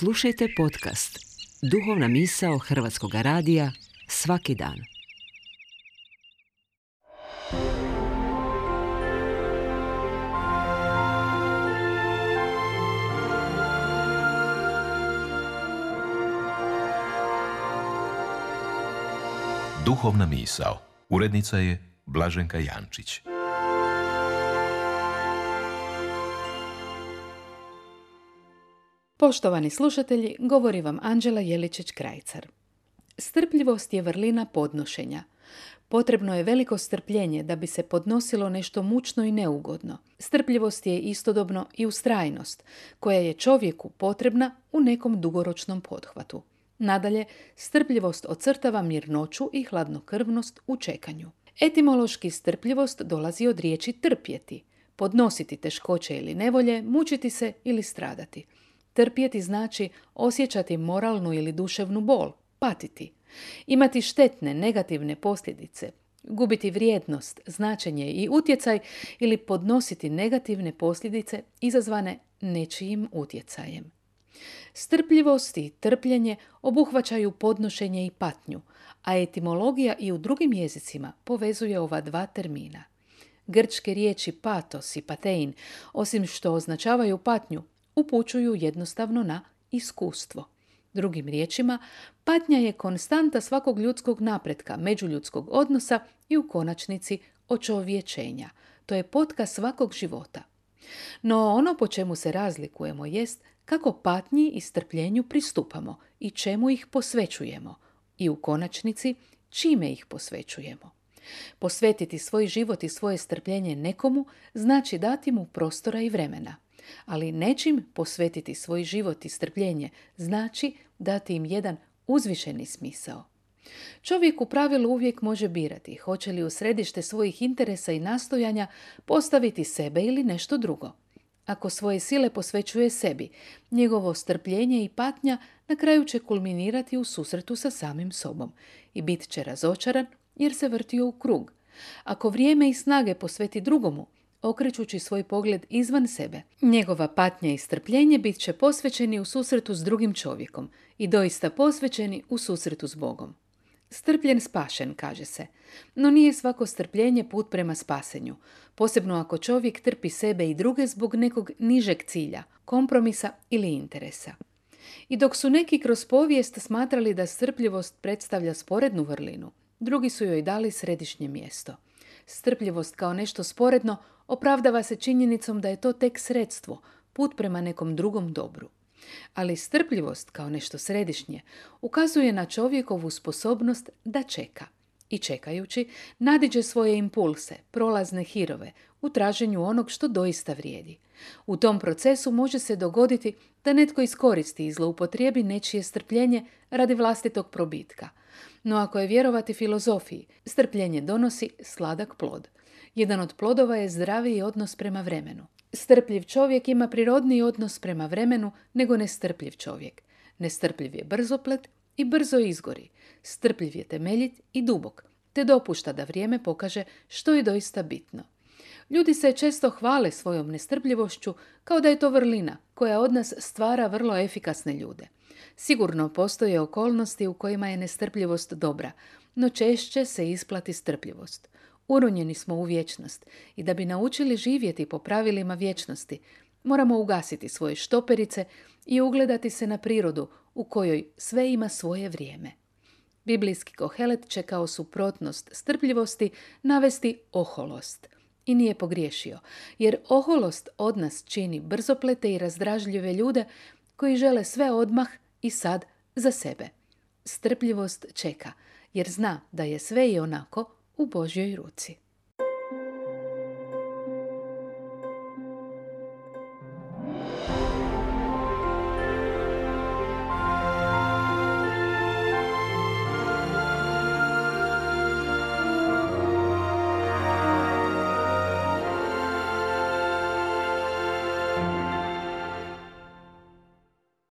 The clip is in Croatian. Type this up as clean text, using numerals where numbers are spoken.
Slušajte podcast Duhovna misao Hrvatskog radija svaki dan. Duhovna misao. Urednica je Blaženka Jančić. Poštovani slušatelji, govori vam Anđela Jeličić-Krajcar. Strpljivost je vrlina podnošenja. Potrebno je veliko strpljenje da bi se podnosilo nešto mučno i neugodno. Strpljivost je istodobno i ustrajnost, koja je čovjeku potrebna u nekom dugoročnom pothvatu. Nadalje, strpljivost ocrtava mirnoću i hladnokrvnost u čekanju. Etimološki strpljivost dolazi od riječi trpjeti, podnositi teškoće ili nevolje, mučiti se ili stradati. Trpjeti znači osjećati moralnu ili duševnu bol, patiti, imati štetne, negativne posljedice, gubiti vrijednost, značenje i utjecaj ili podnositi negativne posljedice izazvane nečijim utjecajem. Strpljivost i trpljenje obuhvaćaju podnošenje i patnju, a etimologija i u drugim jezicima povezuje ova dva termina. Grčke riječi patos i patein, osim što označavaju patnju, upućuju jednostavno na iskustvo. Drugim riječima, patnja je konstanta svakog ljudskog napretka, međuljudskog odnosa i u konačnici očovječenja. To je potka svakog života. No ono po čemu se razlikujemo jest kako patnji i strpljenju pristupamo i čemu ih posvećujemo i u konačnici čime ih posvećujemo. Posvetiti svoj život i svoje strpljenje nekomu znači dati mu prostora i vremena. Ali nečim posvetiti svoj život i strpljenje znači dati im jedan uzvišeni smisao. Čovjek u pravilu uvijek može birati hoće li u središte svojih interesa i nastojanja postaviti sebe ili nešto drugo. Ako svoje sile posvećuje sebi, njegovo strpljenje i patnja na kraju će kulminirati u susretu sa samim sobom i bit će razočaran jer se vrtio u krug. Ako vrijeme i snage posveti drugomu, okrećući svoj pogled izvan sebe, njegova patnja i strpljenje bit će posvećeni u susretu s drugim čovjekom i doista posvećeni u susretu s Bogom. Strpljen spašen, kaže se, no nije svako strpljenje put prema spasenju, posebno ako čovjek trpi sebe i druge zbog nekog nižeg cilja, kompromisa ili interesa. I dok su neki kroz povijest smatrali da strpljivost predstavlja sporednu vrlinu, drugi su joj dali središnje mjesto. Strpljivost kao nešto sporedno opravdava se činjenicom da je to tek sredstvo, put prema nekom drugom dobru. Ali strpljivost kao nešto središnje ukazuje na čovjekovu sposobnost da čeka i čekajući nadiđe svoje impulse, prolazne hirove u traženju onog što doista vrijedi. U tom procesu može se dogoditi da netko iskoristi i zloupotrijebi nečije strpljenje radi vlastitog probitka. No ako je vjerovati filozofiji, strpljenje donosi sladak plod. Jedan od plodova je zdraviji odnos prema vremenu. Strpljiv čovjek ima prirodniji odnos prema vremenu nego nestrpljiv čovjek. Nestrpljiv je brzoplet i brzo izgori. Strpljiv je temeljit i dubok, te dopušta da vrijeme pokaže što je doista bitno. Ljudi se često hvale svojom nestrpljivošću kao da je to vrlina koja od nas stvara vrlo efikasne ljude. Sigurno postoje okolnosti u kojima je nestrpljivost dobra, no češće se isplati strpljivost. Uronjeni smo u vječnost i da bi naučili živjeti po pravilima vječnosti, moramo ugasiti svoje štoperice i ugledati se na prirodu u kojoj sve ima svoje vrijeme. Biblijski Kohelet će kao suprotnost strpljivosti navesti oholost. I nije pogriješio, jer oholost od nas čini brzoplete i razdražljive ljude koji žele sve odmah i sad za sebe. Strpljivost čeka, jer zna da je sve i onako u Božjoj ruci.